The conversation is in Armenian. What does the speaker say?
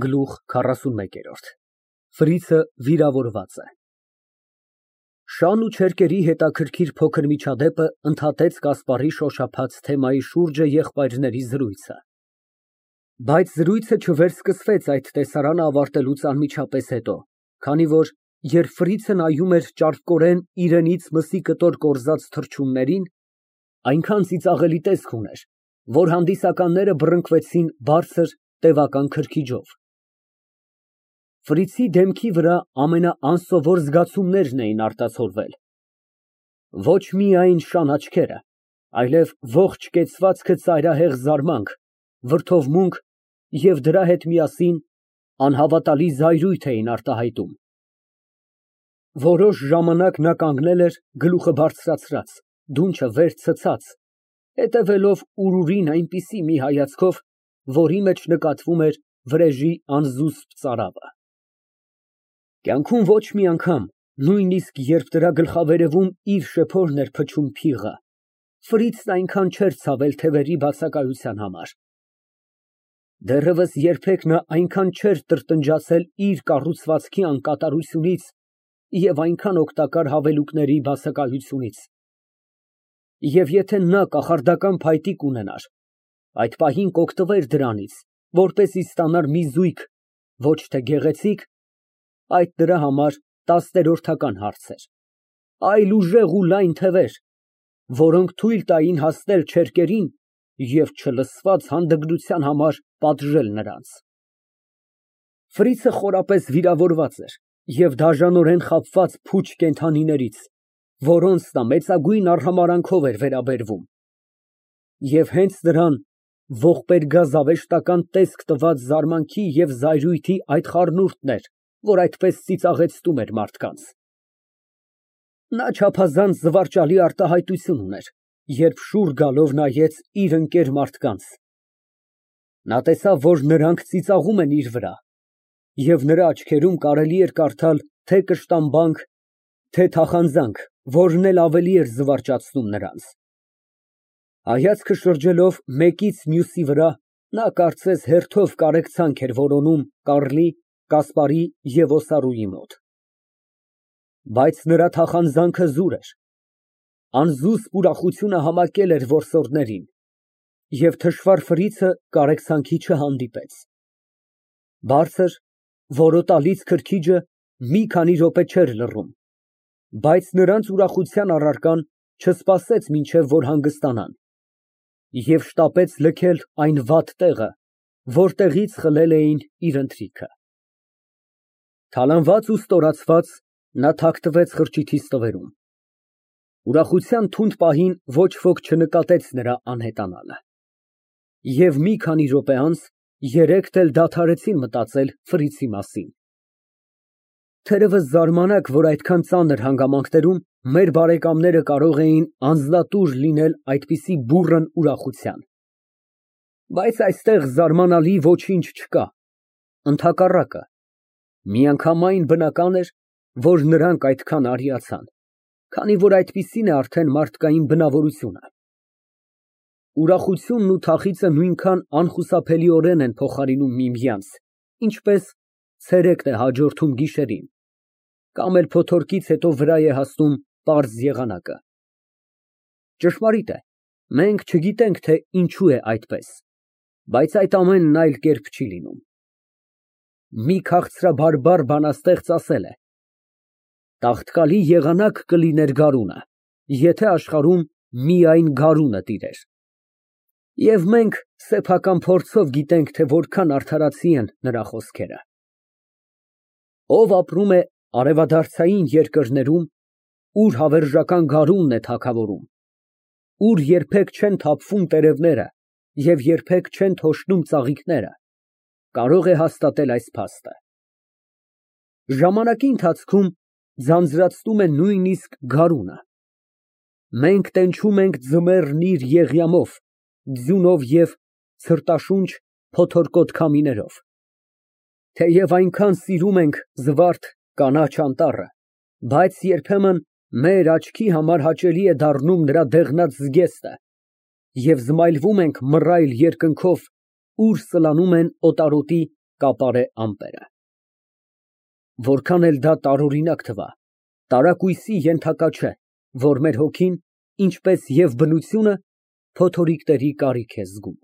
Գլուխ 41 Ֆրիցը վիրավորված է։ Շան ու չերկերի հետաքրքիր փոքր միջադեպը ընդհատեց Կասպարի շոշափած թեմայի շուրջը եղբայրների զրույցը։ Բայց զրույցը չվերսկսվեց այդ տեսարանը ավարտելուց անմիջապես հետո, քանի որ, երբ Ֆրիցը նայում էր ճարպկորեն իրենից մսի կտոր կորզած թռչուններին, այնքան ծիծաղելի տեսք ուներ, որ հանդիսականները բռնկվեցին բարձր, տևական քրքիջով։ Ֆրիցի դեմքի վրա ամենաանսովոր զգացումներն էին արտացոլվել։ Ոչ միայն շան աչքերը, այլև ողջ կեցվածքը ծայրահեղ զարմանք, վրդովմունք և դրա հետ միասին անհավատալի զայրույթ էին արտահայտում։ Որոշ ժամանակ նա կանգնել էր գլուխը բարձրացրած, դունչը վեր ցցած, հետևելով ուրուրին այնպիսի մի հայացքով, որի մեջ նկատվում էր վրեժի անզուսպ ծարավը։ Կյանքում ոչ մի անգամ, նույնիսկ երբ դրա գլխավերևում իր շեփորն էր փչում փիղը, Ֆրիցն այնքան չէր ցավել թևերի բացակայության համար։ Դեռևս երբեք նա այնքան չէր տրտնջացել իր կառուցվածքի անկատարությունից և այնքան օգտակար հավելուկների բացակայությունից։ Եվ եթե նա կախարդական փայտիկ ունենար, այդ պահին կօգտվեր դրանից, որպեսզի ստանար մի զույգ, ոչ թե գեղեցիկ, այդ նրա համար տասներորդական հարց էր, այլ ուժեղ ու լայն թևեր, որոնք թույլ տային հասնել չերկերին և չլսված հանդգնության համար պատժել նրանց։ Ֆրիցը խորապես վիրավորված էր և դաժանորեն խաբված փուչ կենդանիներից, որոնց նա մեծագույն արհամարհանքով էր վերաբերվում, և հենց նրան ողբերգազավեշտական տեսք տված զարմանքի և զայրույթի այդ խառնուրդն էր, որ այդպես ծիծաղեցնում էր մարդկանց։ Նա չափազանց զվարճալի արտահայտություն ուներ, երբ շուռ գալով նայեց իր ընկեր մարդկանց։ Նա տեսավ, որ նրանք ծիծաղում են իր վրա, և նրա աչքերում կարելի էր կարդալ թե կշտամբանք, թե թախանձանք, որն էլ ավելի էր զվարճացնում նրանց։ Հայացքը շրջելով մեկից մյուսի վրա, նա կարծես հերթով կարեկցանք էր որոնում Կարլի, Կասպարի և Օսարուի մոտ։ Բայց նրա թախանձանքը զուր էր, անզուսպ ուրախությունը համակել էր որսորդներին, և թշվառ Ֆրիցը կարեկցանքի չհանդիպեց։ Բարձր, որոտալից քրքիջը մի քանի րոպե չէր լռում, բայց նրանց ուրախության առարկան չսպասեց մինչև որ հանգստանան և շտապեց լքել այն վատ տեղը, որտեղից խլել էին իր ընթրիքը։ Թալանված ու ստորացված, նա թաքնվեց խրճիթի ստվերում։ Ուրախության թունդ պահին ոչ ոք չնկատեց նրա անհետանալը։ Եվ մի քանի րոպե անց երեքն էլ դադարեցին մտածել Ֆրիցի մասին։ Թերևս զարմանաք, որ այդքան ծանր հանգամանքներում մեր բարեկամները կարող էին անձնատուր լինել այդպիսի բուռն ուրախության։ Բայց այստեղ զարմանալի ոչինչ չկա, ընդհակառակը, միանգամայն բնական էր, որ նրանք այդքան արիացան, քանի որ այդպիսին է արդեն մարդկային բնավորությունը։ Ուրախությունն ու թախիծը նույնքան անխուսափելիորեն են փոխարինում միմյանց, ինչպես ցերեկն է հաջորդում գիշերին, կամ էլ փոթորկից հետո վրա է հասնում պարզ եղանակը։ Ճշմարիտ է, մենք չգիտենք, թե ինչու է այդպես, բայց այդ ամենն այլ կերպ չի լինում։ Մի քաղցրաբարբար բանաստեղծ ասել է. «Տաղտկալի եղանակ կլիներ գարունը, եթե աշխարհում միայն գարունը տիրեր»։ Եվ մենք սեփական փորձով գիտենք, թե որքան արդարացի են նրա խոսքերը։ Ով ապրում է արևադարձային երկրներում, ուր հավերժական գարունն է թագավորում, ուր երբեք չեն թափվում տերևները և երբեք չեն թոշնում ծաղիկները, կարող է հաստատել այս փաստը։ Ժամանակի ընթացքում ձանձրացնում է նույնիսկ գարունը։ Մենք տենչում ենք ձմեռն իր եղյամով, ձյունով և ցրտաշունչ, փոթորկոտ քամիներով։ Թեև այնքան սիրում ենք զվարթ, կանաչ անտառը, բայց երբեմն մեր աչքի համար հաճելի է դառնում նրա դեղնած զգեստը, և զմայլվում ենք մռայլ երկնքով, ուր սլանում են օտարոտի կապարե ամպերը։ Որքան էլ դա տարօրինակ թվա, տարակույսի ենթակա չէ, որ մեր հոգին, ինչպես և բնությունը, փոթորիկների կարիք է զգում։